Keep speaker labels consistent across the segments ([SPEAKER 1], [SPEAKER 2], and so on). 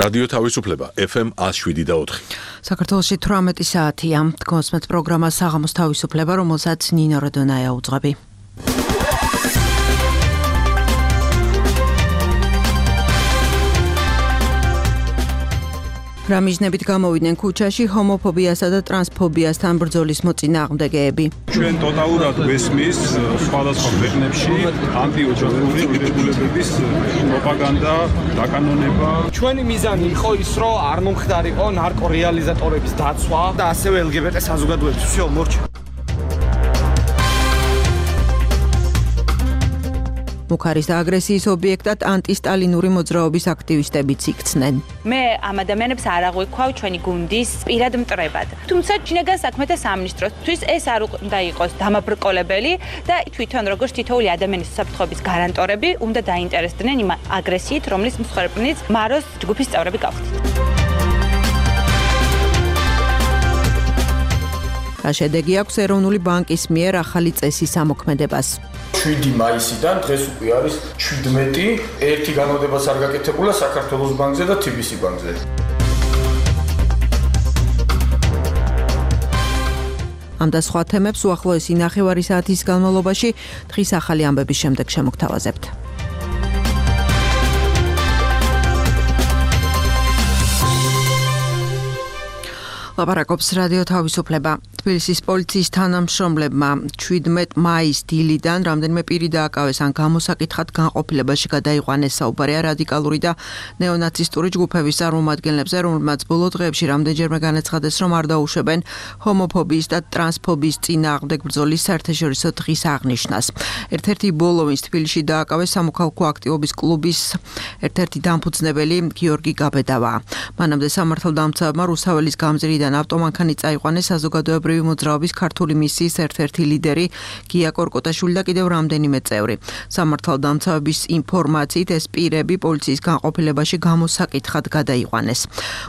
[SPEAKER 1] რადიო თავისუფლება FM 107.4.
[SPEAKER 2] საქართველოში 18 საათია. კონსმეთ პროგრამა საღამოს თავისუფლება, რომელსაც ნინო როდონაია უძღვები. რამიზნებით გამოვიდნენ ქუჩაში ჰომოფობიასა და ტრანსფობიასთან ბრძოლის მოწინააღმდეგეები.
[SPEAKER 3] ჩვენ ტოტალურად ვესმის სხვადასხვა ქვეყნებში ანტიოჯახური ღირებულებების პროპაგანდა, დაკანონება.
[SPEAKER 4] ჩვენი მიზანი იყო ის, რომ არ მომხდარიყო ნარკორეალიზატორების დაცვა და ასევე LGBT საზოგადოების უსიაო მორჩა.
[SPEAKER 2] მუქარის და აგრესიის ობიექტად ანტისტალინური მოძრაობის აქტივისტებიც იქცნენ.
[SPEAKER 5] მე ამ ადამიანებს არ აღვიქვავ ჩვენი გუნდის პირად მტრებად. თუმცა შინაგან საქმეთა სამინისტროსთვის ეს არ უნდა იყოს დამაბრკოლებელი და თვითონ როგორც თითოეული ადამიანის უსაფრთხოების გარანტორები უნდა დაინტერესდნენ იმ აგრესიით, რომლის მსხვერპლიც მაროს ჯგუფის წევრები გავხდით. შედეგი აქვს ეროვნული ბანკის მიერ ახალი წესის ამოქმედებას.
[SPEAKER 6] 7 მაისიდან დღეს უკვე არის 17, ერთი განმეორებას არ გაკეთებულა საქართველოს ბანკზე და TBC ბანკზე.
[SPEAKER 2] ამ და სხვა თემებს უახლოესი ნახევარი საათის განმავლობაში დღის ახალი ამბების შემდეგ შემოგთავაზებთ. ლაპარაკობს რადიო თავისუფლება. თბილისის პოლიციის თანამშრომლებმა 17 მაის დილიდან რამდენიმე პირი დააკავეს ან გამოსაკითხად განყოფილებაში გადაიყვანეს. საუბარია რადიკალური და ნეონაცისტური ჯგუფების წარმომადგენლებზე, რომლებმაც ბოლო დღეებში რამდენჯერმე განაცხადეს, რომ არ დაუშვებენ ჰომოფობიის და ტრანსფობიის წინააღმდეგ ბრძოლის საერთაშორისო დღის აღნიშვნას. ერთ-ერთი ბოლო, ვინც თბილისში დააკავეს, სამოქალაქო აქტივობის კლუბის ერთ-ერთი დამფუძნებელი გიორგი გაბედავა. მანამდე სამართალდამცავებმა რუსაველის გამზირიდან ავტომანქანი წაიყვანეს საზოგადოებრივი მოძრაობის ქართული მისიის ერთ-ერთი ლიდერი გია კორკოტაშვილი და კიდევ რამდენიმე წევრი. სამართალდამცავების ინფორმაციით ეს პირები პოლიციის განყოფილებაში გამოსაკითხად გადაიყვანეს.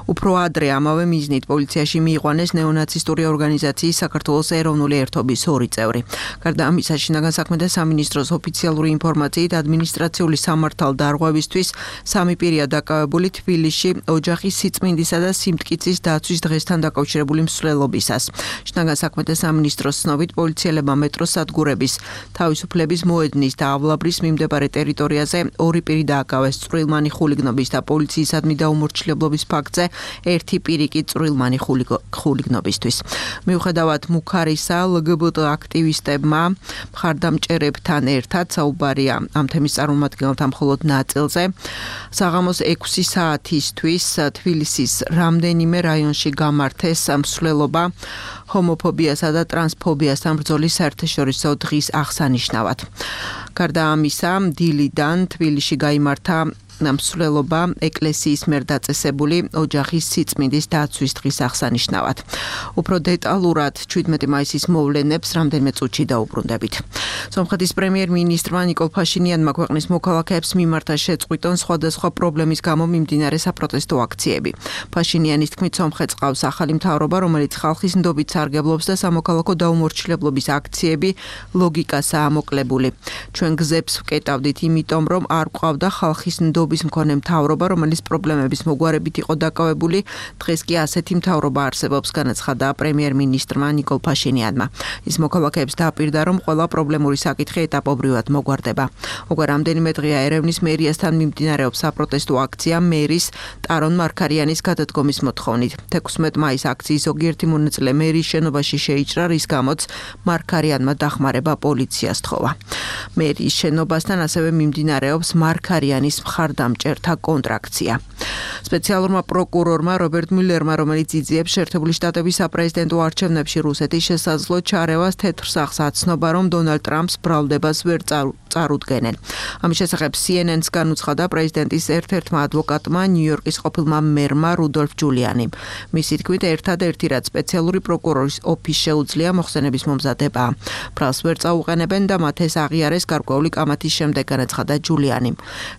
[SPEAKER 2] უფრო ადრე ამავე მიზნით პოლიციაში მიიყვანეს ნეონაცისტური ორგანიზაციის საქართველოს ეროვნული ერთობის 2 წევრი. გარდა ამისა, შინაგან საქმეთა სამინისტროს ოფიციალური ინფორმაციით ადმინისტრაციული სამართალდარღვევისთვის 3 პირია დაკავებული თბილისში ოჯახის სიწმინდისა და სიმტკიცის დაცვის დღესთან დაკავშირებული მსვლელობისას. შინაგან საქმეთა სამინისტროს ცნობით პოლიციელებმა მეტროს სადგურების თავისუფლების მოედნის და ავლაბრის მიმდებარე ტერიტორიაზე 2 პირი დააკავეს წვრილმანი ხულიგნობის და პოლიციისადმი დაუმორჩილებლობის ფაქტზე, 1 პირი კი წვრილმანი ხულიგნობისთვის. მიუხედავად მუქარისა, LGBT აქტივისტებმა მხარდამჭერებთან ერთად საუბარია ამ თემის წარმომადგენელთა მხოლოდ ნაწილზე. საღამოს 6 საათისთვის თბილისის რამდენიმე რაიონში გამართეს მსვლელობა ჰომოფობიასა და ტრანსფობიასთან ბრძოლის საერთაშორისო დღის აღსანიშნავად. გარდა ამისა, დილიდან თბილისში გაიმართა მსვლელობა ეკლესიის მიერ დაწესებული ოჯახის სიწმინდის დაცვის დღის აღსანიშნავად. უფრო დეტალურად 17 მაისის მოვლენებს რამდენიმე წუთში დაუბრუნდებით. სომხეთის პრემიერ-მინისტრმა ნიკოლ ფაშინიანმა ქვეყნის მოქალაქეებს მიმართა შეწყვიტონ სხვადასხვა პრობლემის გამო მიმდინარე საპროტესტო აქციები. ფაშინიანის თქმით, სომხეთს ყავს ახალი მთავრობა, რომელიც ხალხის ნდობით სარგებლობს და სამოქალაქო დაუმორჩილებლობის აქციები ლოგიკასაა მოკლებული. ჩვენ გზებს ვკეტავდით იმიტომ, რომ არ გვყავდა ხალხის ნდობის მქონე მთავრობა, რომელიც პრობლემების მოგვარებით იყო დაკავებული. დღეს კი ასეთი მთავრობა არსებობს, განაცხადა პრემიერ-მინისტრმა ნიკოლ ფაშინიანმა. ის მოქალაქეებს დააპირდა, რომ ყველა პრობლემური საკითხი ეტაპობრივად მოგვარდება. უკვე რამდენიმე დღეა ერევნის მერიასთან მიმდინარეობს საპროტესტო აქცია მერის ტარონ მარქარიანის გადადგომის მოთხოვნით. 16 მაის აქციის ზოგიერთი მონაწილე მერის შენობაში შეიჭრა, რის გამოც მარქარიანმა დახმარება პოლიციას თხოვა. მერის შენობასთან ასევე მიმდინარეობს მარქარიანის დამჭერთა კონტრაქცია. სპეციალურმა პროკურორმა რობერტ მილერმა, რომელიც იძიებს შეერთებული შტატების საპრეზიდენტო არჩევნებში რუსეთის შესაძლო ჩარევას თეთრ სახს აცნობა, რომ დონალდ ტრამპს ბრალდებას ვერ წარუდგენენ. ამის შესახებ CNN-ს განუცხადა პრეზიდენტის ერთ-ერთმა ადვოკატმა, ნიუ-იორკის ყოფილმა მერმა რუდოლფ ჯულიანიმ. მისი თქმით, ერთადერთი რაც სპეციალური პროკურორის ოფისს შეუძლია მოხსენების მომზადება. ბრალს ვერ წაუყენებენ და მათ ეს აღიარეს გარკვეული კამათის შემდეგ, განაცხადა ჯულიანიმ.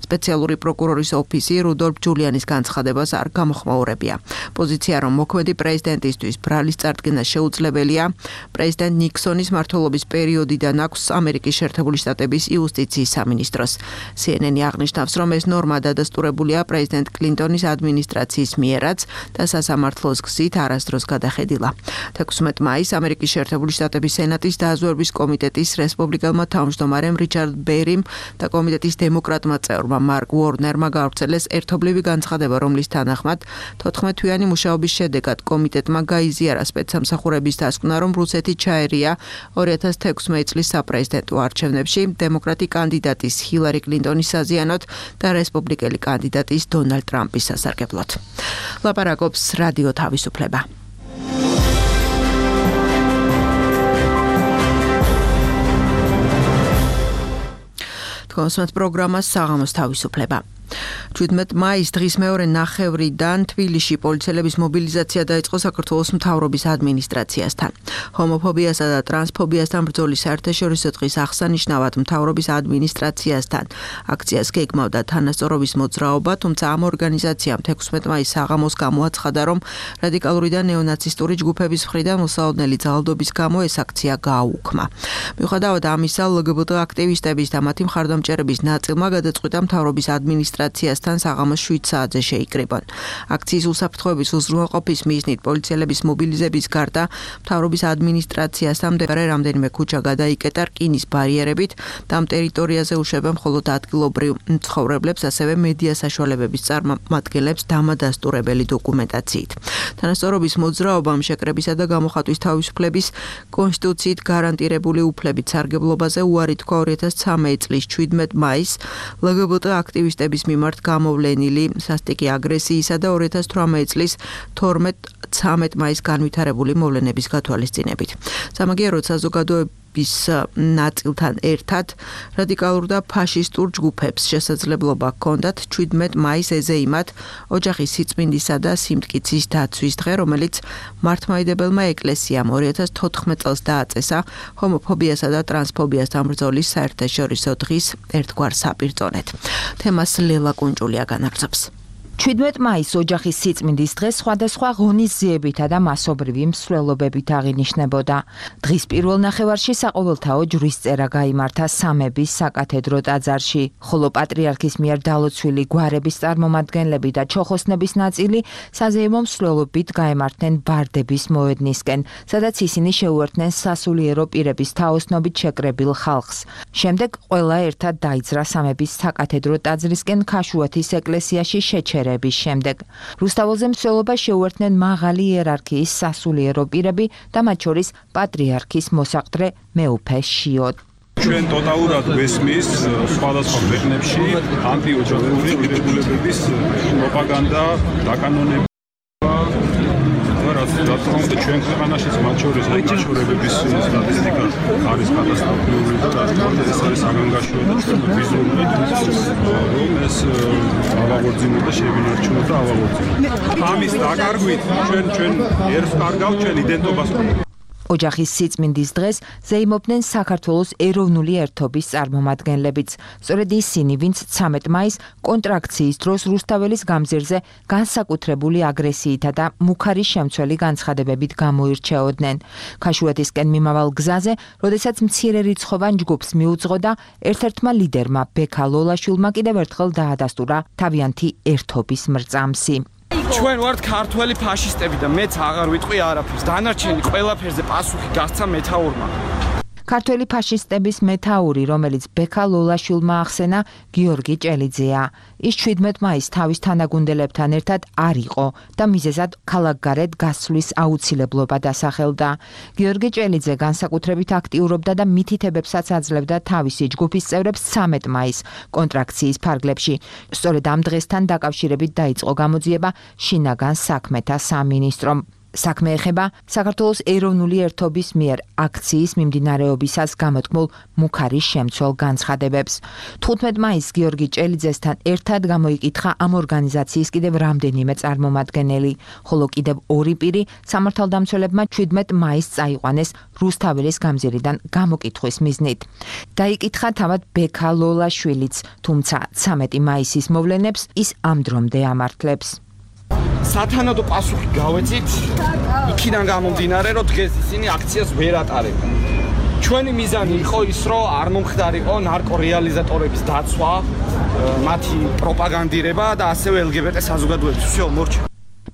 [SPEAKER 2] სპეციალური პროკურორის ოფისი რუდოლფ ჯულიანის განცხადებას არ გამოხმაურებია. პოზიცია, რომ მოქმედი პრეზიდენტისთვის ბრალის წარდგენა შეუძლებელია, პრეზიდენტ ნიქსონის მმართველობის პერიოდიდან აქვს ამერიკის შეერთებული შტატების იუსტიციის სამინისტროს. CNN-ი აღნიშნავს, რომ ეს ნორმა დადასტურებულია პრეზიდენტ კლინტონის ადმინისტრაციის მიერაც და სასამართლოს გზით არასდროს გადახედილა. 16 მაისს ამერიკის შეერთებული შტატების სენატის დაზვერვის კომიტეტის რესპუბლიკელმა თავმჯდომარემ რიჩარდ ბერიმ და კომიტეტის დემოკრატმა წევრმა მარკ უორნერმა გავრცელეს ერთობლივი განცხადება, რომლის თანახმად 14 თვიანი მუშაობის შედეგად კომიტეტმა გაიზიარა სპეცსამსახურების დასკვნა, რომ რუსეთი ჩაერია 2016 წლის საპრეზიდენტო არჩევნებში დემოკრატი კანდიდატის ჰილარი კლინტონის საზიანოთ და რესპუბლიკელი კანდიდატის დონალდ ტრამპის სასარგებლოდ. ლაპარაკობს რადიო თავისუფლება. კონსმეთ პროგრამას საღამოს თავისუფლება. 17 მაისს დღის მეორე ნახევრიდან თბილისში პოლიციელების მობილიზაცია დაიწყო საქართველოს მთავრობის ადმინისტრაციასთან. ჰომოფობიასა და ტრანსფობიასთან ბრძოლის საერთაშორისო დღის აღსანიშნავად მთავრობის ადმინისტრაციასთან აქციას გეგმავდა თანასწორობის მოძრაობა, თუმცა ამ ორგანიზაციამ 16 მაისს საღამოს გამოაცხადა, რომ რადიკალური და ნეონაცისტური ჯგუფების მხრიდან მოსალოდნელი ძალადობის გამო ეს აქცია გააუქმა. მიუხედავად ამისა, LGBT აქტივისტების და მათი მხარდამჭერების ნაწილმა გადაწყვიტა მთავრობის ადმინისტრაციასთან საღამოს 7 საათზე შეიკრიბონ. აქციის უსაფრთხოების უზრუნველყოფის მიზნით პოლიციელების მობილიზების გარდა მთავრობის ადმინისტრაციასთან მდებარე რამდენიმე ქუჩა გადაიკეტა რკინის ბარიერებით და ამ ტერიტორიაზე უშვებენ მხოლოდ ადგილობრივ მცხოვრებლებს, ასევე მედია საშუალებების წარმომადგენლებს დამადასტურებელი დოკუმენტაციით. თანასწორობის მოძრაობამ შეკრებისა და გამოხატვის თავისუფლების კონსტიტუციით გარანტირებული უფლებით სარგებლობაზე უარი თქვა 2013 წლის 17 მაისს LGBT აქტივისტების მიმართ გამოვლენილი სასტიკი აგრესიისა და 2018 წლის 12-13 მაისს განვითარებული მოვლენების გათვალისწინებით. სამაგიეროდ საზოგადოების ნაწილთან ერთად რადიკალურ და ფაშისტურ ჯგუფებს შესაძლებლობა ჰქონდათ 17 მაისს ეზეიმათ ოჯახის სიწმინდისა და სიმტკიცის დაცვის დღე, რომელიც მართლმადიდებელმა ეკლესიამ 2014 წელს დააწესა ჰომოფობიასა და ტრანსფობიასთან ბრძოლის საერთაშორისო დღის ერთგვარ საპირწონედ. თემას ლელა კუნჭულია განაგრძობს.
[SPEAKER 7] 17 მაისს ოჯახის სიწმინდის დღე სხვადასხვა ღონისძიებითა და მასობრივი მსვლელობებით აღინიშნებოდა. დღის პირველ ნახევარში საყოველთაო ჯვრისწერა გაიმართა სამების საკათედრო ტაძარში, ხოლო პატრიარქის მიერ დალოცვილი გვარების წარმომადგენლები და ჩოხოსნების ნაწილი საზეიმო მსვლელობით გაემართნენ ბარდების მოედნისკენ, სადაც ისინი შეუერთდნენ სასულიერო პირების თაოსნობით შეკრებილ ხალხს. შემდეგ ყველა ერთად დაიძრა სამების საკათედრო ტაძრისკენ ქაშუათის ეკლესიაში შეჩერება. შემდეგ რუსთაველზე მსვლელობა შეუერთდნენ მაღალი იერარქიის სასულიერო პირები და მათ შორის პატრიარქის მოსაყდრე მეუფე შიოდ.
[SPEAKER 3] ჩვენ ტოტალურად ვესმის სხვადასხვა ქვეყნებში ანტიოჯახური ღირებულებების პროპაგანდა, დაკანონება და ჩვენ ქვეყანაშიც მათ შორის გაშორებების სტატისტიკა არის კატასტროფული და ეს არის საგანგაშო და ჩვენ ვიზუალურად რომ ეს ავაღორძინო და შევინარჩუნოთ და ავაღორძინოთ. ამის დაკარგვით ჩვენ ერთს კარგავთ ჩვენ იდენტობას.
[SPEAKER 7] ოჯახის სიწმინდის დღეს ზეიმობდნენ საქართველოს ეროვნული ერთობის წარმომადგენლებიც. სწორედ ისინი, ვინც 13 მაისს კონტრაქციის დროს რუსთაველის გამზირზე განსაკუთრებული აგრესიითა და მუქარი შემცველი განცხადებებით გამოირჩეოდნენ. ქაშუათისკენ მიმავალ გზაზე, როდესაც მცირე რიცხოვან ჯგუფს მიუძღოდა, ერთ-ერთმა ლიდერმა ბექა ლოლაშვილმა კიდევ ერთხელ დაადასტურა თავიანთი ერთობის მრწამსი.
[SPEAKER 4] ჩვენ ვართ ქართველი ფაშისტები და მეც აღარ ვიტყვი არაფერს. დანარჩენი ყველაფერზე პასუხი გასცა მეთაურმა.
[SPEAKER 7] ქართველი ფაშისტების მეთაური, რომელიც ბექა ლოლაშვილმა ახსენა, გიორგი ჭელიძეა. ის 17 მაისს თავის თანაგუნდელებთან ერთად არ იყო და მიზეზად ქალაქგარეთ გასვლის აუცილებლობა დასახელდა. გიორგი ჭელიძე განსაკუთრებით აქტიურობდა და მითითებებსაც აძლევდა თავისი ჯგუფის წევრებს 13 მაისს კონტრაქციის ფარგლებში. სწორედ ამ დღესთან დაკავშირებით დაიწყო გამოძიება შინაგან საქმეთა სამინისტრომ. საქმე ეხება საქართველოს ეროვნული ერთობის მიერ აქციის მიმდინარეობისას გამოთქმულ მუქარის შემცველ განცხადებებს. 15 მაისს გიორგი ჭელიძესთან ერთად გამოიკითხა ამ ორგანიზაციის კიდევ რამდენიმე წარმომადგენელი, ხოლო კიდევ ორი პირი სამართალდამცველებმა 17 მაისს წაიყვანეს რუსთაველის გამზირიდან გამოკითხვის მიზნით. დაიკითხა თავად ბექა ლოლაშვილიც, თუმცა 13 მაისის მოვლენებს ის ამ დრომდე ამართლებს.
[SPEAKER 4] სათანადო პასუხი გავეცით იქიდან გამომდინარე, რომ დღეს ისინი აქციას ვერ ატარებენ. ჩვენი მიზანი იყო ის, რომ არ მომხდარიყო ნარკორეალიზატორების დაცვა, მათი პროპაგანდირება და ასევე LGBT საზოგადოების всё მორჩა.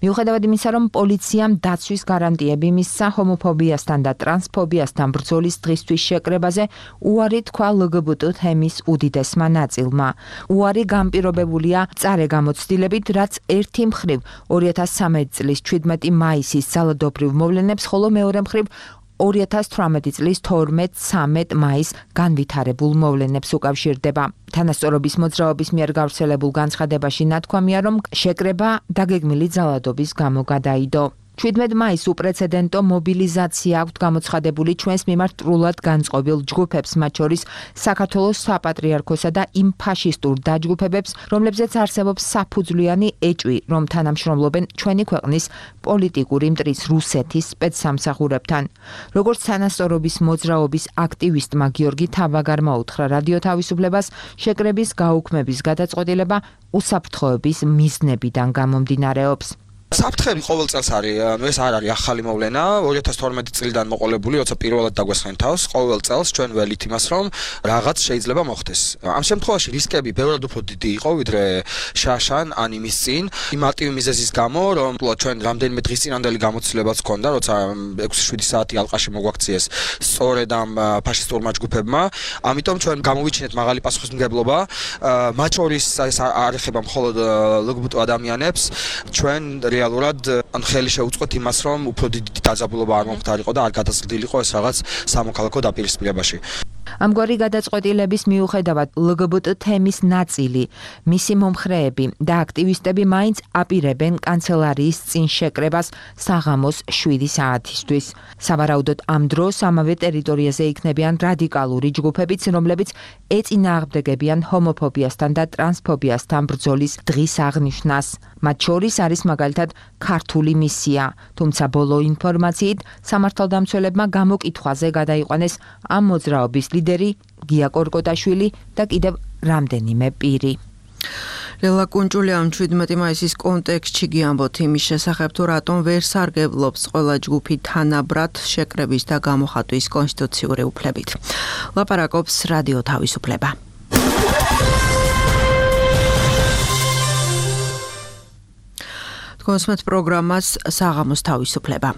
[SPEAKER 7] მიუხედავად იმისა, რომ პოლიციამ დაცვის გარანტიები მისცა ჰომოფობიასთან და ტრანსფობიასთან ბრძოლის დღისთვის შეკრებაზე, უარი თქვა LGBT თემის უდიდესმა ნაწილმა. უარი განპირობებულია მწარე გამოცდილებით, რაც ერთი მხრივ 2013 წლის 17 მაისის ძალადობრივ მოვლენებს, ხოლო მეორე მხრივ 2018 წლის 12-13 მაისს განვითარებულ მოვლენებს უკავშირდება. თანასწორობის მოძრაობის მიერ გავრცელებულ განცხადებაში ნათქვამია, რომ შეკრება დაგეგმილი ძალადობის გამო გადაიდო. 17 მაისს უპრეცედენტო მობილიზაცია აქვთ გამოცხადებული ჩვენს მიმართ ტრულად განწყობილ ჯგუფებს, მათ შორის საქართველოს საპატრიარქოსა და იმ ფაშისტურ დაჯგუფებებს, რომლებზეც არსებობს საფუძვლიანი ეჭვი, რომ თანამშრომლობენ ჩვენი ქვეყნის პოლიტიკური მტრის რუსეთის სპეცსამსახურებთან. როგორც თანასწორობის მოძრაობის აქტივისტმა გიორგი თაბაგარმა უთხრა რადიო თავისუფლებას, შეკრების გაუქმების გადაწყვეტილება უსაფრთხოების მიზნებიდან გამომდინარეობს.
[SPEAKER 8] საფრთხები ყოველ წელს არის, ეს არ არის ახალი მოვლენა, 2012 წლიდან მოყოლებული, როცა პირველად დაგვესხენ თავს, ყოველ წელს ჩვენ ველით იმას, რომ რაღაც შეიძლება მოხდეს. ამ შემთხვევაში რისკები ბევრად უფრო დიდი იყო, ვიდრე შაშან ან იმის წინ, იმ მარტივი მიზეზის გამო, რომ ჩვენ რამდენიმე დღის წინანდელი გამოცდილებაც ჰქონდა, როცა 6-7 საათი ალყაში მოგვაქციეს სწორედ ამ ფაშისტურმა ჯგუფებმა, ამიტომ ჩვენ გამოვიჩინეთ მაღალი პასუხისმგებლობა, მათ შორის არ ეხება მხოლოდ LGBT ადამიანებს, ჩვენ რეალურად ხელი შეუწყოთ იმას, რომ უფრო დიდი დაძაბულობა არ მომხდარიყო და არ გადაზრდილიყო ეს რაღაც სამოქალაქო დაპირისპირებაში.
[SPEAKER 7] ამგვარი გადაწყვეტილების მიუხედავად LGBT თემის ნაწილი, მისი მომხრეები და აქტივისტები მაინც აპირებენ კანცელარიის წინ შეკრებას საღამოს 7 საათისთვის. სავარაუდოდ ამ დროს ამავე ტერიტორიაზე იქნებიან რადიკალური ჯგუფებიც, რომლებიც ეწინააღმდეგებიან ჰომოფობიასთან და ტრანსფობიასთან ბრძოლის დღის აღნიშვნას. მათ შორის არის მაგალითად ქართული მისია, თუმცა ბოლო ინფორმაციით სამართალდამცველებმა გამოკითხვაზე გადაიყვანეს ამ მოძრაობის ლიდერი გია კორკოტაშვილი და კიდევ რამდენიმე პირი.
[SPEAKER 2] ლელა კუნჭულია ამ 17 მაისის კონტექსტში გიამბოთ იმის შესახებ, თუ რატომ ვერ სარგებლობს ყველა ჯგუფი თანაბრად შეკრების და გამოხატვის კონსტიტუციური უფლებით. ლაპარაკობს რადიო თავისუფლება. კონსმეთ პროგრამას საღამოს თავისუფლება.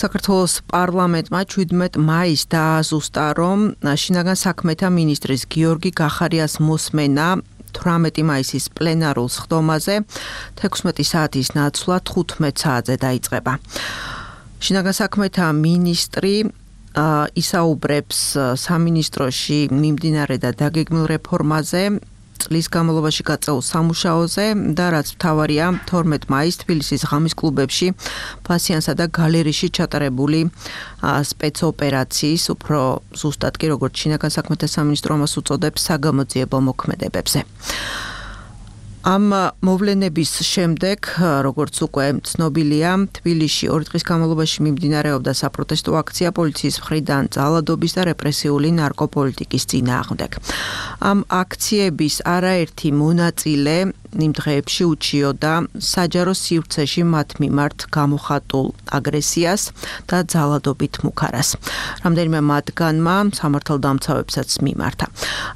[SPEAKER 2] საქართველოს პარლამენტმა 17 მაისს დააზუსტა, რომ შინაგან საქმეთა მინისტრის გიორგი გახარიას მოსმენა 18 მაისის პლენარულ სხდომაზე 16 საათის ნაცვლად 15 საათზე დაიწყება. შინაგან საქმეთა მინისტრი ისაუბრებს სამინისტროში მიმდინარე და დაგეგმილ რეფორმაზე, წლის განმავლობაში გაწეულ სამუშაოზე და რაც მთავარია 12 მაისს თბილისის ღამის კლუბებში ფასიანსა და გალერეში ჩატარებული სპეცოპერაციის, უფრო ზუსტად კი როგორც შინაგან საქმეთა სამინისტრო ამას უწოდებს, საგამოძიებო მოქმედებებზე. ამ მოვლენების შემდეგ, როგორც უკვე ცნობილია, თბილისში 2 დღის განმავლობაში მიმდინარეობდა საპროტესტო აქცია პოლიციის მხრიდან ძალადობის და რეპრესიული ნარკოპოლიტიკის წინააღმდეგ. ამ აქციების არაერთი მონაწილე იმ დღეებში უჩიოდა საჯარო სივრცეში მათ მიმართ გამოხატულ აგრესიას და ძალადობით მუქარას. რამდენიმე მათგანმა სამართალდამცავებსაც მიმართა.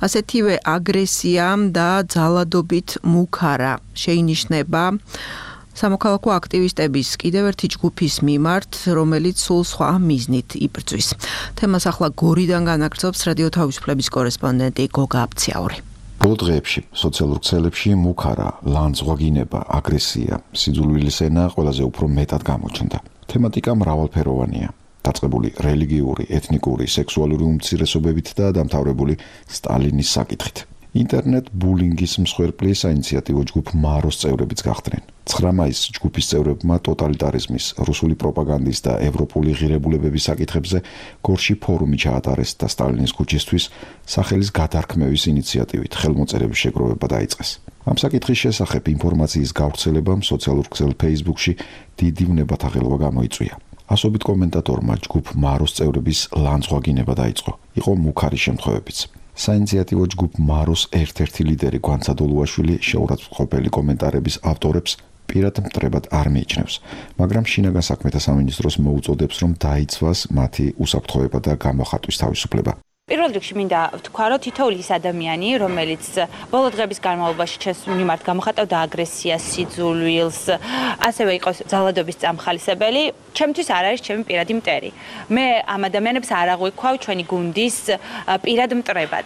[SPEAKER 2] ასეთივე აგრესია და ძალადობით მუქარა შეინიშნება სამოქალაქო აქტივისტების კიდევ ერთი ჯგუფის მიმართ, რომელიც სულ სხვა მიზნით იბრძვის. თემას ახლა გორიდან განაგრძობს რადიო თავისუფლების კორესპონდენტი გოგა აბციაური.
[SPEAKER 9] ბოლო დღეებში სოციალურ ქსელებში მუქარა, ლანძღვაგინება, აგრესია, სიძულვილის ენა ყველაზე უფრო მეტად გამოჩნდა. თემატიკა მრავალფეროვანია. დაწყებული რელიგიური, ეთნიკური, სექსუალური უმცირესობებით და დამთავრებული სტალინის საკითხით. ინტერნეტ ბულინგის მსხვერპლი საინიციატივო ჯგუფ მაროს წევრებიც გახდნენ. 9 მაისს ჯგუფის წევრებმა ტოტალიტარიზმის, რუსული პროპაგანდის და ევროპული ღირებულებების საკითხებზე გორში ფორუმი ჩაატარეს და სტალინის ქუჩისთვის სახელის გადარქმევის ინიციატივით ხელმოწერების შეგროვება დაიწყეს. ამ საკითხის შესახებ ინფორმაციის გავრცელებამ სოციალურ ქსელ Facebook-ში დიდი ვნებათაღელობა გამოიწვია. ასობით კომენტატორმა ჯგუფ მაროს წევრების ლანძღვაგინება დაიწყო. იყო მუქარი შემთხვევებიც. საინიციატივო ჯგუფ მაროს ერთ-ერთი ლიდერი გვანცა დოლუაშვილი შეურაცხმყოფელი კომენტარების ავტორებს პირად მტრებად არ მიიჩნევს, მაგრამ შინაგან საქმეთა სამინისტროს მოუწოდებს, რომ დაიცვას მათი უსაფრთხოება და გამოხატვის თავისუფლება.
[SPEAKER 5] პირველ რიგში მინდა ვთქვა, რომ თითოეული ის ადამიანი, რომელიც ბოლო დღების განმავლობაში ჩემს მიმართ გამოხატავდა აგრესიას, სიძულვილს, ასევე იყოს ძალადობის წამხალისებელი, ჩემთვის არ არის ჩემი პირადი მტერი. მე ამ ადამიანებს არ აღვიქვავ ჩვენი გუნდის პირად მტრებად.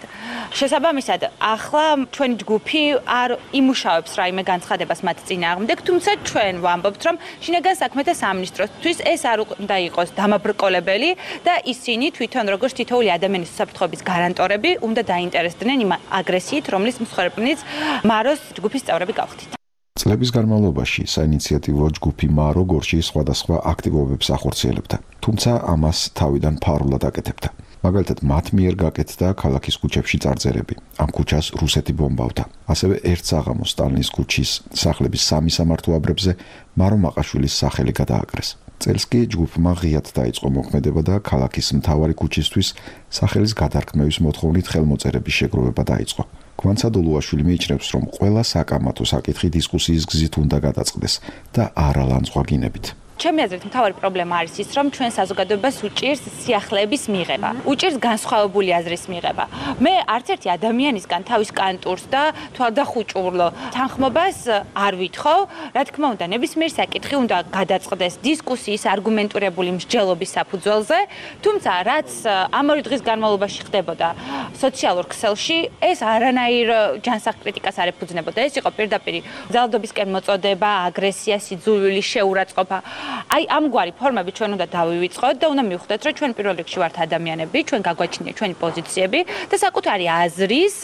[SPEAKER 5] შესაბამისად, ახლა ჩვენი ჯგუფი არ იმუშავებს რაიმე განცხადებას მათ წინააღმდეგ, თუმცა ჩვენ ვამბობთ, რომ შინაგან საქმეთა სამინისტროსთვის ეს არ უნდა იყოს დამაბრკოლებელი და ისინი თვითონ როგორც თითოეული ადამიანის უსაფრთხოების გარანტორები უნდა დაინტერესდნენ იმ აგრესიით, რომლის მსხვერპლიც მაროს ჯგუფის წევრები გავხდით.
[SPEAKER 9] წლების განმავლობაში საინიციატივო ჯგუფი მარო გორში სხვადასხვა აქტივობებს ახორციელებდა, თუმცა ამას თავიდან ფარულად აკეთებდა. მაგალითად, მათ მიერ გაკეთდა ქალაქის ქუჩებში წარწერები. ამ ქუჩას რუსეთი ბომბავდა. ასევე ერთ საღამოს სტალინის ქუჩის სახლების 3 სამართო აბრებზე მარო მაყაშვილის სახელი გადააკრეს. წელს კი ჯგუფმა ღიად დაიწყო მოქმედება და ქალაქის მთავარი ქუჩისთვის სახელის გადარქმევის მოთხოვნით ხელმოწერების შეგროვება დაიწყო. გვანცა დოლუაშვილი მიიჩნევს, რომ ყველა საკამათო საკითხი დისკუსიის გზით უნდა გადაწყდეს და არა ლანძღვაგინებით.
[SPEAKER 5] ჩემი აზრით მთავარი პრობლემა არის ის, რომ ჩვენ საზოგადოებას უჭირს სიახლეების მიღება, უჭირს განსხვავებული აზრის მიღება. მე არც ერთი ადამიანისგან თავის კანტურს და თვალდახუჭურლო თანხმობას არ ვითხოვ, რა თქმა უნდა, ნებისმიერ საკითხი უნდა გადაწყდეს დისკუსიის არგუმენტირებული მსჯელობის საფუძველზე, თუმცა რაც ამავე დღის განმავლობაში ხდებოდა სოციალურ ქსელში, ეს არანაირ ჯანსაღ კრიტიკას არ ეფუძნებოდა. ეს იყო პირდაპირ ძალადობისკენ მოწოდება, აგრესია, სიძულვილი, შეურაცხყოფა. აი ამგვარი ფორმები ჩვენ უნდა დავივიწყოთ და უნდა მივხვდეთ, რომ ჩვენ პირველ რიგში ვართ ადამიანები, ჩვენ გაგვაჩნია ჩვენი პოზიციები და საკუთარი აზრის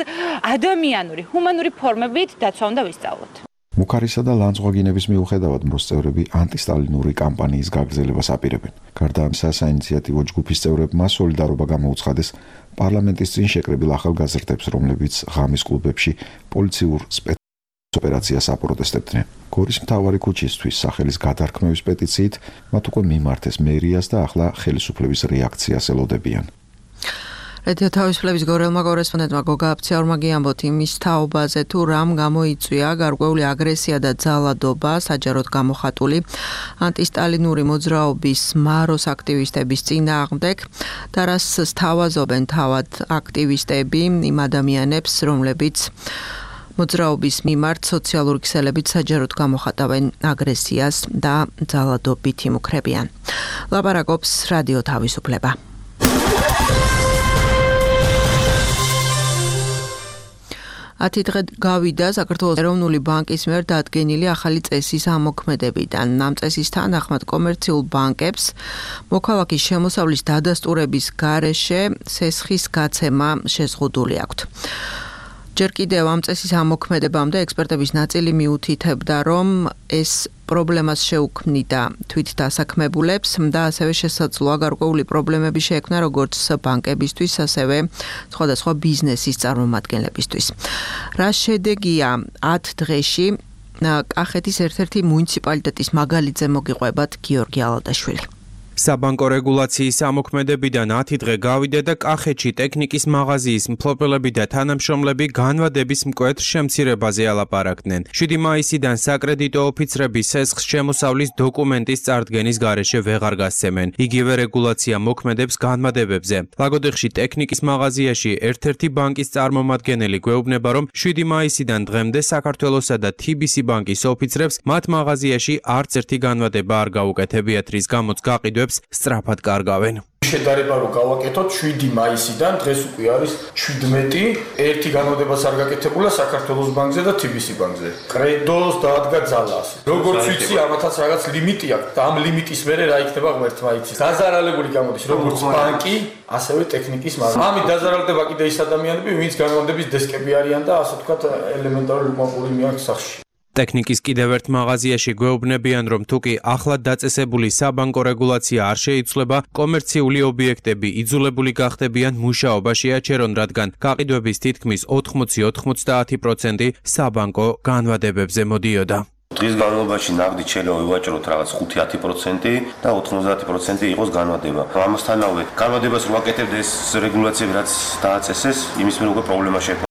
[SPEAKER 5] ადამიანური, ჰუმანური ფორმებით დაცვა უნდა ვისწავლოთ.
[SPEAKER 9] მუქარისა და ლანძღვაგინების მიუხედავად მოსწევრები ანტისტალინური კამპანიის გაგრძელებას აპირებენ. გარდა ამისა, საინიციატივო ჯგუფის წევრებმა სოლიდარობა გამოუცხადეს პარლამენტის წინ შეკრებილ ახალგაზრდებს, რომლებიც ღამის კლუბებში პოლიციურ ოპერაციას აპროტესტებდნენ. გორის მთავარი ქუჩისთვის სახელის გადარქმევის პეტიციით მათ უკვე მიმართეს მერიას და ახლა ხელისუფლების რეაქციას ელოდებიან.
[SPEAKER 2] რადიო თავისუფლების გორელმა კორესპონდენტმა გოგა აფციაურმა გიამბოთ იმის თაობაზე, თუ რამ გამოიწვია გარკვეული აგრესია და ძალადობა საჯაროდ გამოხატული ანტისტალინური მოძრაობის მაროს აქტივისტების წინააღმდეგ და რას სთავაზობენ თავად აქტივისტები იმ ადამიანებს, რომლებიც მოძრაობის მიმართ სოციალური ქსელებით საჯაროდ გამოხატავენ აგრესიას და ძალადობით იმუქრებიან. ლაპარაკობს რადიო თავისუფლება. ათი დღე გავიდა საქართველოს ეროვნული ბანკის მიერ დადგენილი ახალი წესის ამოქმედებიდან. ამ წესის თანახმად კომერციულ ბანკებს მოქალაქის შემოსავლის დადასტურების გარეშე სესხის გაცემა შეზღუდული აქვთ. ჯერ კიდევ ამ წესის ამოქმედებამდე ექსპერტების ნაწილი მიუთითებდა, რომ ეს პრობლემას შეუქმნიდა თვით დასაქმებულებს და ასევე შესაძლოა გარკვეული პრობლემები შეექმნა როგორც ბანკებისთვის, ასევე სხვადასხვა ბიზნესის წარმომადგენლებისთვის. რა შედეგია 10 დღეში კახეთის ერთ-ერთი მუნიციპალიტეტის მაგალითზე მოგიყვებათ გიორგი ალადაშვილი.
[SPEAKER 10] საბანკო რეგულაციის ამოქმედებიდან 10 დღე გავიდა და კახეთში ტექნიკის მაღაზიის მფლობელები და თანამშრომლები განვადების მკვეთრ შემცირებაზე ალაპარაკდნენ. 7 მაისიდან საკრედიტო ოფიცრები სესხს შემოსავლის დოკუმენტის წარდგენის გარეშე ვეღარ გასცემენ. იგივე რეგულაცია მოქმედებს განმადებებზე. ლაგოდეხში ტექნიკის მაღაზიაში ერთ-ერთი ბანკის წარმომადგენელი გვეუბნება, რომ 7 მაისიდან დღემდე საქართველოსა და TBC ბანკის ოფიცრებს მათ მაღაზიაში არც ერთი განვადება არ გაუკეთებიათ, რის გამოც გაყიდვებს პერიოდებს სწრაფად კარგავენ.
[SPEAKER 6] შედარება რომ გავაკეთოთ 7 მაისიდან დღეს უკვე არის 17 ერთი განმავლობას არ გაკეთებულა საქართველოს ბანკზე და TBC ბანკზე. კრედოს დაადგა ძალას. როგორც ვიცი, ამათაც რაღაც ლიმიტი აქვს და ამ ლიმიტის მერე რა იქნება ღმერთმა იცის. დაზარალებული გამოდის როგორც ბანკი, ასევე ტექნიკის მაგალითად. ამით დაზარალდება კიდე ის ადამიანები, ვინც განმავლობის დესკები არიან და ასე ვთქვათ ელემენტარული უკმაყოფილება მიაქვს სახში.
[SPEAKER 10] ტექნიკის კიდევ ერთ მაღაზიაში გვეუბნებიან, რომ თუკი ახლად დაწესებული საბანკო რეგულაცია არ შეიცვლება, კომერციული ობიექტები იძულებული გახდებიან მუშაობაში აჩერონ, რადგან გაყიდვების თითქმის 80-90% საბანკო განვადებებზე მოდიოდა.
[SPEAKER 11] დღის განმავლობაში ნაღდით შეიძლება ვივაჭროთ რაღაც 5-10% და 90% იყოს განვადება. ამასთანავე განვადებას რო აკეთებდა ეს რეგულაციები, რაც დააწესეს, იმის მერე უკვე პრობლემა შეექმნა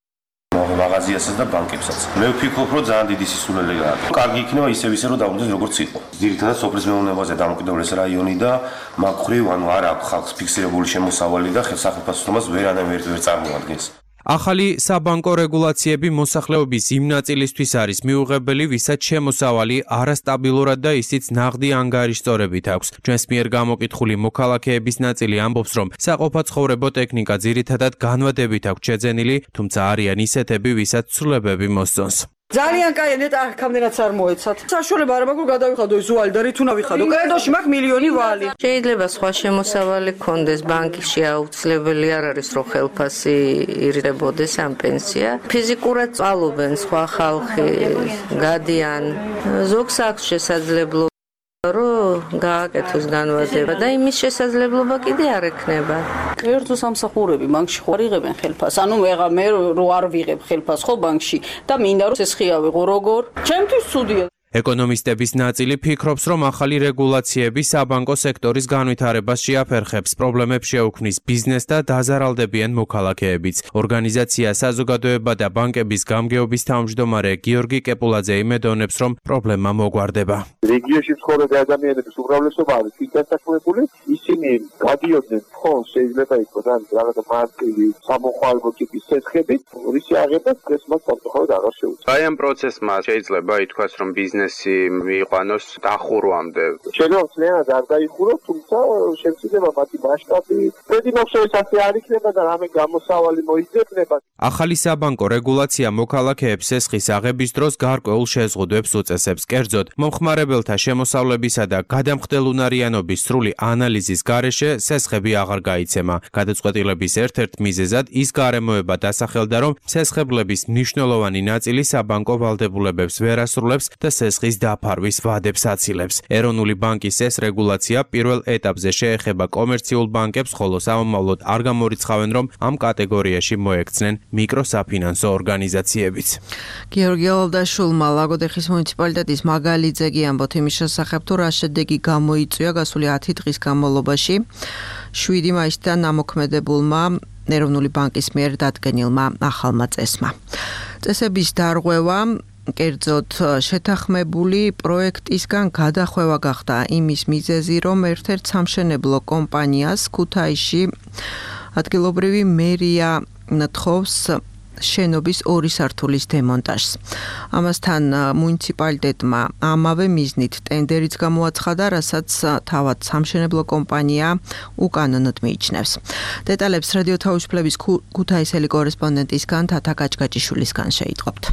[SPEAKER 11] მაღაზიასაც და ბანკებსაც. მე ვფიქრობ, რომ ძალიან დიდი სისულელე გააქვს. კარგი იქნება ისე რომ დაუდგეს როგორც იყო. ძირითადად სოფლის მეურნეობაზე დამოკიდებული ეს რაიონი და მაგ ხრივ ანუ არ აქვს ხალხს ფიქსირებული შემოსავალი და სახელმწიფოს ვერანაირ ვერ წარმოადგენს.
[SPEAKER 10] ახალი საბანკო რეგულაციები მოსახლეობის იმ ნაწილისთვის არის მიუღებელი, ვისაც შემოსავალი არასტაბილურად და ისიც ნაღდი ანგარიშწორებით აქვს. ჩვენს მიერ გამოკითხული მოქალაქეების ნაწილი ამბობს, რომ საყოფაცხოვრებო ტექნიკა ძირითადად განვადებით აქვს შეძენილი, თუმცა არიან ისეთები, ვისაც ცვლილებები მოსწონს.
[SPEAKER 12] ძალიან კაი, ნეტა აქამდენაც არ მოეცათ. საშუალება არ მაქვს გადავიხადო ის ვალი და რით უნდა ვიხადო. კრედოში მაქვს მილიონი ვალი.
[SPEAKER 13] შეიძლება სხვა შემოსავალი გქონდეს, ბანკში აუცილებელი არ არის, რომ ხელფასი ირდებოდეს ამ პენსია. ფიზიკურად წვალობენ სხვა ხალხი, გადიან. ზოგს აქვს შესაძლებლობა რომ გააკეთოს განვადება და იმის შესაძლებლობა კიდე არ ექნება.
[SPEAKER 12] კერძო სამსახურები ბანკში ხო არ იღებენ ხელფასს. ანუ მე რო არ ვიღებ ხელფასს ხო ბანკში და მინდა რომ ეს ხია ვიღო როგორ? ჩემთვის ცუდია.
[SPEAKER 10] ეკონომისტების ნაწილი ფიქრობს, რომ ახალი რეგულაციები საბანკო სექტორის განვითარებას შეაფერხებს, პრობლემებს შეუქმნის ბიზნესს და დაზარალდებიან მოქალაქეებიც. ორგანიზაცია საზოგადოება და ბანკების გამგეობის თავმჯდომარე გიორგი კეპულაძე იმედოვნებს, რომ პრობლემა მოგვარდება.
[SPEAKER 14] რეგიონში მცხოვრები ადამიანების უმრავლესობა არის დასაქმებული, ისინი გადიოდნენ ფონდს, შეიძლება იყოს რაღაც მარტივი სამოხალხო ტიპის ცეცხლებით, რისი აღება დღეს მას სამწუხაროდ აღარ შეუძლია.
[SPEAKER 15] აი ამ პროცესმა შეიძლება ითქვას, რომ ბიზნესი მიიყვანოს დახურვამდე.
[SPEAKER 14] შეიძლება ძნელად არ დაიხუროს, თუმცა შემიძლია მათი მასშტაბი პრედიმოქშოვის ასე არ იქნება და რამე გამოსავალი მოიძებნება.
[SPEAKER 10] ახალი საბანკო რეგულაცია მოქალაქეებს სესხის აღების დროს გარკვეულ შეზღუდვებს უწესებს. კერძოდ, მომხმარებელთა შემოსავლებისა და გადამხდელუნარიანობის სრული ანალიზის გარეშე სესხები აღარ გაიცემა. გადაწყვეტილების ერთ-ერთ მიზეზად ის გარემოება დასახელდა, რომ სესხებლების მნიშვნელოვანი ნაწილი საბანკო ვალდებულებებს ვერ ასრულებს და სესხის დაფარვის ვადებს აცილებს. ეროვნული ბანკის ეს რეგულაცია პირველ ეტაპზე შეეხება კომერციულ ბანკებს, ხოლო სამომავლოდ არ გამორიცხავენ, რომ ამ კატეგორიაში მოექცნენ მიკროსაფინანსო ორგანიზაციებიც.
[SPEAKER 2] გიორგი ალდაშულმა ლაგოდეხის მუნიციპალიტეტის მაგალიძეგი ამბობთ იმის შესახებ, თუ რა შედეგი გამოიწვია გასული 10 დღის განმავლობაში 7 მაისიდან ამოქმედებულმა ეროვნული ბანკის მიერ დადგენილმა ახალმა წესმა. წესების დარღვევა კერძოდ შეთანხმებული პროექტისგან გადახვევა გახდა იმის მიზეზი, რომ ერთ-ერთ სამშენებლო კომპანიას ქუთაისში ადგილობრივი მერია თხოვს შენობის 2 სართულის დემონტაჟს. ამასთან მუნიციპალიტეტმა ამავე მიზნით ტენდერიც გამოაცხადა, რასაც თავად სამშენებლო კომპანია უკანონოდ მიიჩნევს. დეტალებს რადიო თავისუფლების ქუთაისელი კორესპონდენტისგან თათა გაჭგაჭიშვილისგან შეიტყობთ.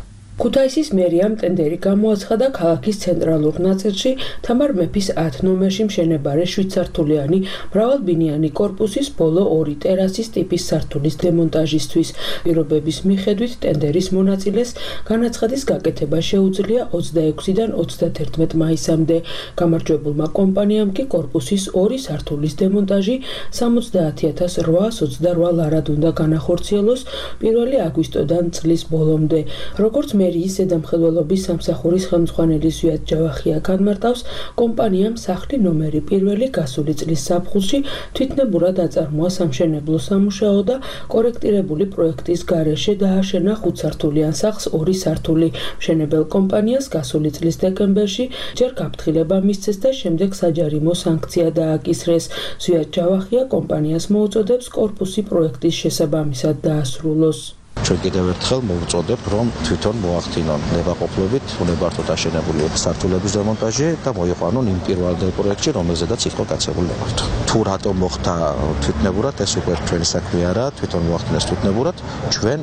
[SPEAKER 16] ქუთაისის მერიამ ტენდერი გამოაცხადა ქალაქის ცენტრალურ ნაწილში თამარ მეფის 10 ნომერში მშენებარე 7 სართულიანი მრავალბინიანი корпуსის ბოლო 2 ტერასის ტიპის სართულის დემონტაჟისთვის. პირობების მიხედვით ტენდერის მონაწილეს განაცხადის გაკეთება შეუძლია 26-დან 31 მაისამდე. გამარჯვებულმა კომპანიამ კი корпуსის 2 სართულის დემონტაჟი 70,828 ლარად უნდა განახორციელოს 1 აგვისტოდან წლის ბოლომდე. როგორც მერიის ზედამხედველობის სამსახურის ხელმძღვანელი ზვიად ჯავახია განმარტავს, კომპანიამ სახლი ნომერი 1 გასული წლის ზაფხულში თვითნებურად აწარმოა სამშენებლო სამუშაო და კორექტირებული პროექტის გარეშე დააშენა 5 სართულიან სახლს 2 სართული. მშენებელ კომპანიას გასული წლის დეკემბერში ჯერ გაფრთხილება მისცეს და შემდეგ საჯარიმო სანქცია დააკისრეს. ზვიად ჯავახია კომპანიას მოუწოდებს корпуსი პროექტის შესაბამისად დაასრულოს.
[SPEAKER 17] ჩვენ კიდევ ერთხელ მოვუწოდებ, რომ თვითონ მოახდინონ ნებაყოფლობით უნებართვოდ აშენებული სართულების დემონტაჟი და მოიყვანონ იმ პირველ პროექტში, რომელზედაც იყო გაცემული ნებართვა. თუ რატომ მოხდა თვითნებურად, ეს უკვე ჩვენი საქმე არა, თვითონ მოახდინეს თვითნებურად, ჩვენ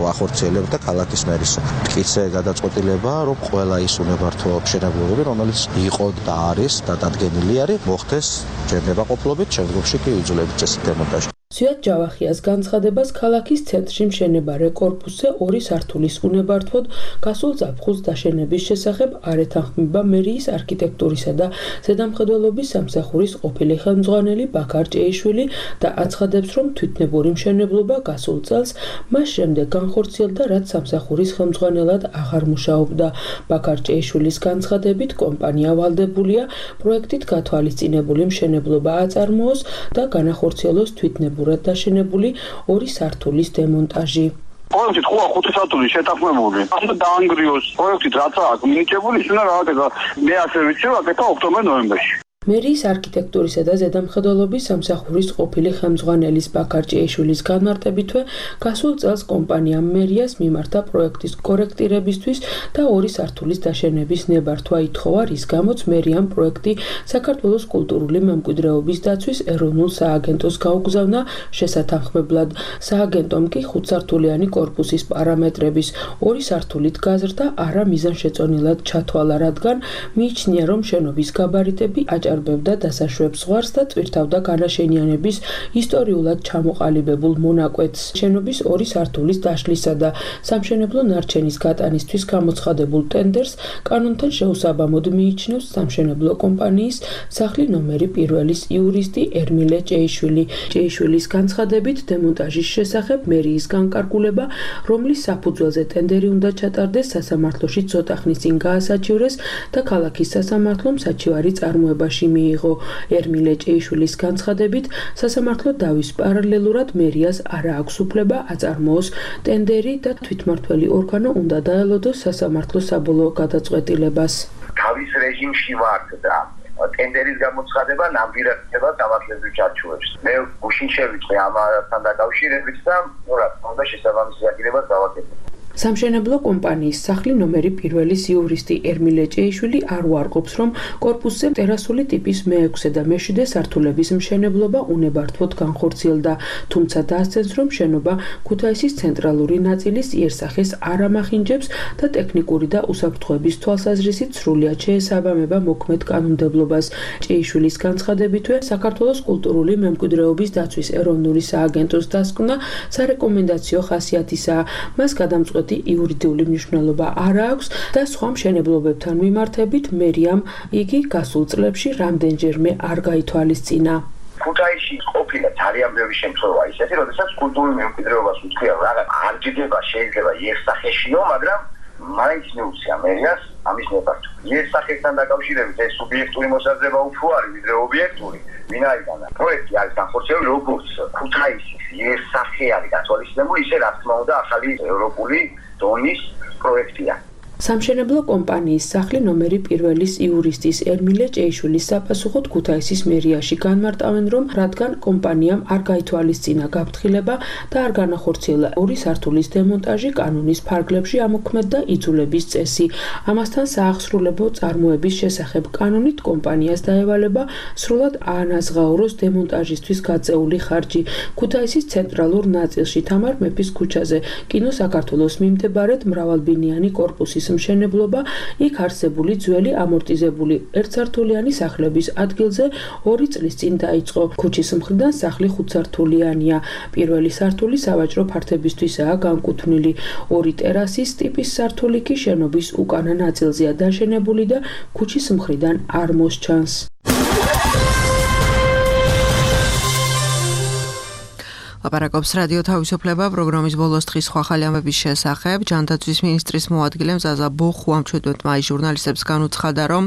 [SPEAKER 17] ვახორციელებთ და ქალაქის მერის მტკიცე გადაწყვეტილება, რომ ყველა ის უნებართვო მშენებლობები, რომელიც იყო და არის დადგენილი არის, მოხდეს ჯერ ნებაყოფლობით, შემდგომში კი იძულებით წესით დემონტაჟი.
[SPEAKER 16] ზვიად ჯავახიას განცხადებას ქალაქის ცენტრში მშენებარე კორპუსზე 2 სართულის უნებართვოდ გასულ ზაფხულს დაშენების შესახებ არ ეთანხმება მერიის არქიტექტურისა და ზედამხედველობის სამსახურის ყოფილი ხელმძღვანელი ბაქარ ჭეიშვილი და აცხადებს, რომ თვითნებური მშენებლობა გასულ წელს მას შემდეგ განხორციელდა, რაც სამსახურის ხელმძღვანელად აღარ მუშაობდა. ბაქარ ჭეიშვილის განცხადებით, კომპანია ვალდებულია პროექტით გათვალისწინებული მშენებლობა აწარმოოს და განახორციელოს თვითნებურად დაშენებული 2 სართულის დემონტაჟი.
[SPEAKER 14] პროექტით ხო 5 სართული შეთანხმებული. ამ დაანგრიოს პროექტით რაც აქვს მინიჭებული, ის უნდა რაღაცა მე ასე ვიცი, აკეთა ოქტომბერ-ნოემბერში.
[SPEAKER 16] მერიის არქიტექტურისა და ზედამხედველობის სამსახურის ყოფილი ხელმძღვანელის ბაქარ ჭეიშვილის განმარტებითვე, გასულ წელს კომპანიამ მერიას მიმართა პროექტის კორექტირებისთვის და 2 სართულის დაშენების ნებართვა ითხოვა, რის გამოც მერიამ პროექტი საქართველოს კულტურული მემკვიდრეობის დაცვის ეროვნულ სააგენტოს გაუგზავნა შესათანხმებლად. სააგენტომ კი 5-სართულიანი კორპუსის პარამეტრების 2 სართულით გაზრდა არა მიზანშეწონილად ჩათვალა, რადგან მიიჩნია, რომ შენობის გაბარიტები აჭარბებდა დასაშვებს ზღვარს და წვირთავდა განაშენიანების ისტორიულად ჩამოყალიბებულ მონაკვეთს. შენობის 2 სართულის დაშლისა და სამშენებლო ნარჩენის გატანისთვის გამოცხადებულ ტენდერს კანონთან შეუსაბამოდ მიიჩნევს სამშენებლო კომპანიის სახლი ნომერი 1-ის იურისტი ერმილე ჭეიშვილი. ჭეიშვილის განცხადებით, დემონტაჟის შესახებ მერიის განკარგულება, რომლის საფუძველზე ტენდერი უნდა ჩატარდეს, სასამართლოში ცოტა ხნის წინ გაასაჩივრეს და ქალაქის სასამართლომ საჩივარი წარმოებაში მიიღო. ერმილე ჭეიშვილის განცხადებით, სასამართლო დავის პარალელურად მერიას არ აქვს უფლება აწარმოოს ტენდერი და თვითმმართველი ორგანო უნდა დაელოდოს სასამართლო საბოლოო გადაწყვეტილებას.
[SPEAKER 14] თავის რეჟიმში ვართ და ტენდერის გამოცხადება ნამდვილად ხდება სამართლებრივ ჩარჩოებს. მე გუშინ შევიწვე ამასთან დაკავშირებით და რა თქმა უნდა შესაბამისი აკირებას დავაკეთებ.
[SPEAKER 16] სამშენებლო კომპანიის სახლი ნომერი 1-ის იურისტი ერმილე ჭეიშვილი არ უარყოფს, რომ კორპუსზე ტერასული ტიპის მე-6 და მე-7 სართულების მშენებლობა უნებართვოდ განხორციელდა, თუმცა დაასცენს, რომ შენობა ქუთაისის ცენტრალური ნაწილის იერსახეს არ ამახინჯებს და ტექნიკური და უსაფრთხოების თვალსაზრისით სრულად შეესაბამება მოქმედ კანონმდებლობას. ჭეიშვილის განცხადებითვე, საქართველოს კულტურული მემკვიდრეობის დაცვის ეროვნული სააგენტოს დასკვნა სარეკომენდაციო ხასიათისაა. მას გადამწყვეტ იურიდიული მნიშვნელობა არ აქვს და სხვა მშენებლობებთან მიმართებით მერიამ იგი გასულ წლებში რამდენჯერმე არ გაითვალისწინა.
[SPEAKER 14] ქუთაისში ყოფილა ძალიან ბევრი შემთხვევა ისეთი, როდესაც კულტურული მემკვიდრეობას უთქვია რაღაც არ ჯდება შეიძლება იერსახეშიო, მაგრამ მაინც მიუცია მერიას ამის ნებართვა. იერსახესთან დაკავშირებით ეს სუბიექტური მოსაზრება უფრო არის ვიდრე ობიექტური. ვინაიდან პროექტი არის განხორციელებული როგორც ქუთაისის იერსახე არის გათვალისწინებული, ისე რა თქმა უნდა ახალი ევროპული დონის პროექტია.
[SPEAKER 16] სამშენებლო კომპანიის სახლი ნომერი 1-ის იურისტის ერმილე ჭეიშვილის საფასუხოდ ქუთაისის მერიაში განმარტავენ, რომ რადგან კომპანიამ არ გაითვალისწინა გაფრთხილება და არ განახორციელა 2 სართულის დემონტაჟი, კანონის ფარგლებში ამოქმედდა იძულების წესი. ამასთან საახსრულებო წარმოების შესახებ კანონით კომპანიას დაევალება სრულად აანაზღაუროს დემონტაჟისთვის გაწეული ხარჯი. ქუთაისის ცენტრალურ ნაწილში თამარ მეფის ქუჩაზე კინო საქართველოს მიმდებარედ მრავალბინიანი კორპუსის მშენებლობა, იქ არსებული ძველი ამორტიზებული ერთსართულიანი სახლების ადგილზე 2 წლის წინ დაიწყო. ქუჩის მხრიდან სახლი 5-სართულიანია. პირველი სართული სავაჭრო ფართებისთვისაა განკუთვნილი. 2 ტერასის ტიპის სართული კი შენობის უკანა ნაწილზეა დაშენებული და ქუჩის მხრიდან არ მოსჩანს.
[SPEAKER 2] ლაპარაკობს რადიო თავისუფლება პროგრამის ბოლოს დღის სხვა ხალხების შესახებ. ჯანდაცვის მინისტრის მოადგილემ ზაზა ბოხუამ 17 მაისს ჟურნალისტებს განუცხადა, რომ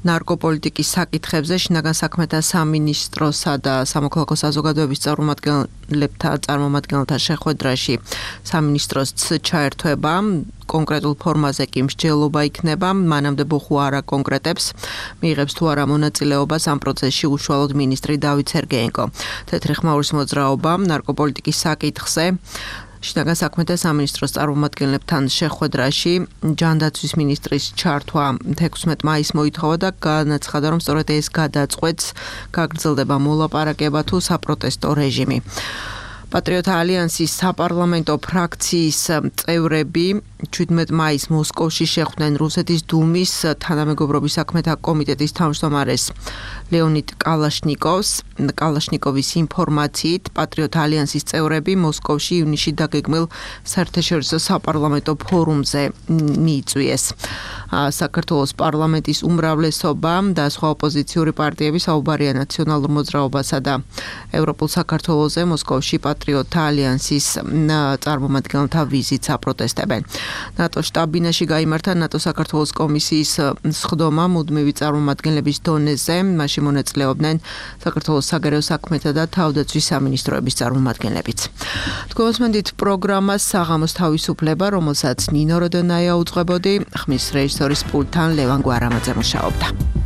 [SPEAKER 2] ნარკოპოლიტიკის საკითხებზე შინაგან საქმეთა სამინისტროსა და სამოქალაქო საზოგადოების წარმომადგენელთა შეხვედრაში სამინისტროს ჩაერთვება კონკრეტულ ფორმაზე კი მსჯელობა იქნება. მანამდე ბოხუ არ აკონკრეტებს, მიიღებს თუ არა მონაწილეობას ამ პროცესში უშუალოდ მინისტრი დავით სერგეენკო. თეთრი ხმაურის მოძრაობა ნარკოპოლიტიკის საკითხზე შინაგან საქმეთა სამინისტროს წარმომადგენლებთან შეხვედრაში ჯანდაცვის მინისტრის ჩართვა 16 მაისს მოითხოვა და განაცხადა, რომ სწორედ ეს გადაწყვეტს გაგრძელდება მოლაპარაკება თუ საპროტესტო რეჟიმი. Patriot Alliance-ის საპარლამენტო ფრაქციის წევრები 17 მაისს მოსკოვში შეხვდნენ რუსეთის დუმის თანამეგობრობის საქმეთა კომიტეტის თავმჯდომარეს ლეონიდ კალაშნიკოვის ინფორმაციით Patriot Alliance-ის წევრები მოსკოვში ივნისში დაგეგმილ საერთაშორისო საპარლამენტო ფორუმზე მიიწვიეს. საქართველოს პარლამენტის უმრავლესობა და სხვა ოპოზიციური პარტიები საუბარია ნაციონალურ მოძრაობასა და ევროპულ საქართველოზე მოსკოვში Patriot Alliance-ის წარმომადგენელთა ვიზიტს აპროტესტებენ. NATO შტაბ-ბინაში გაიმართა NATO საქართველოს კომისიის სხდომა მუდმივი წარმომადგენლების დონეზე, მასში მონაწილეობდნენ საქართველოს საგარეო საქმეთა და თავდაცვის სამინისტროების წარმომადგენლებიც. თქვენს პროგრამას საღამოს თავისუფლება, რომელსაც ნინო როდონაია უძღვებოდი, ხმის რეჟისორის პულტთან ლევან გვარამაძე მუშაობდა.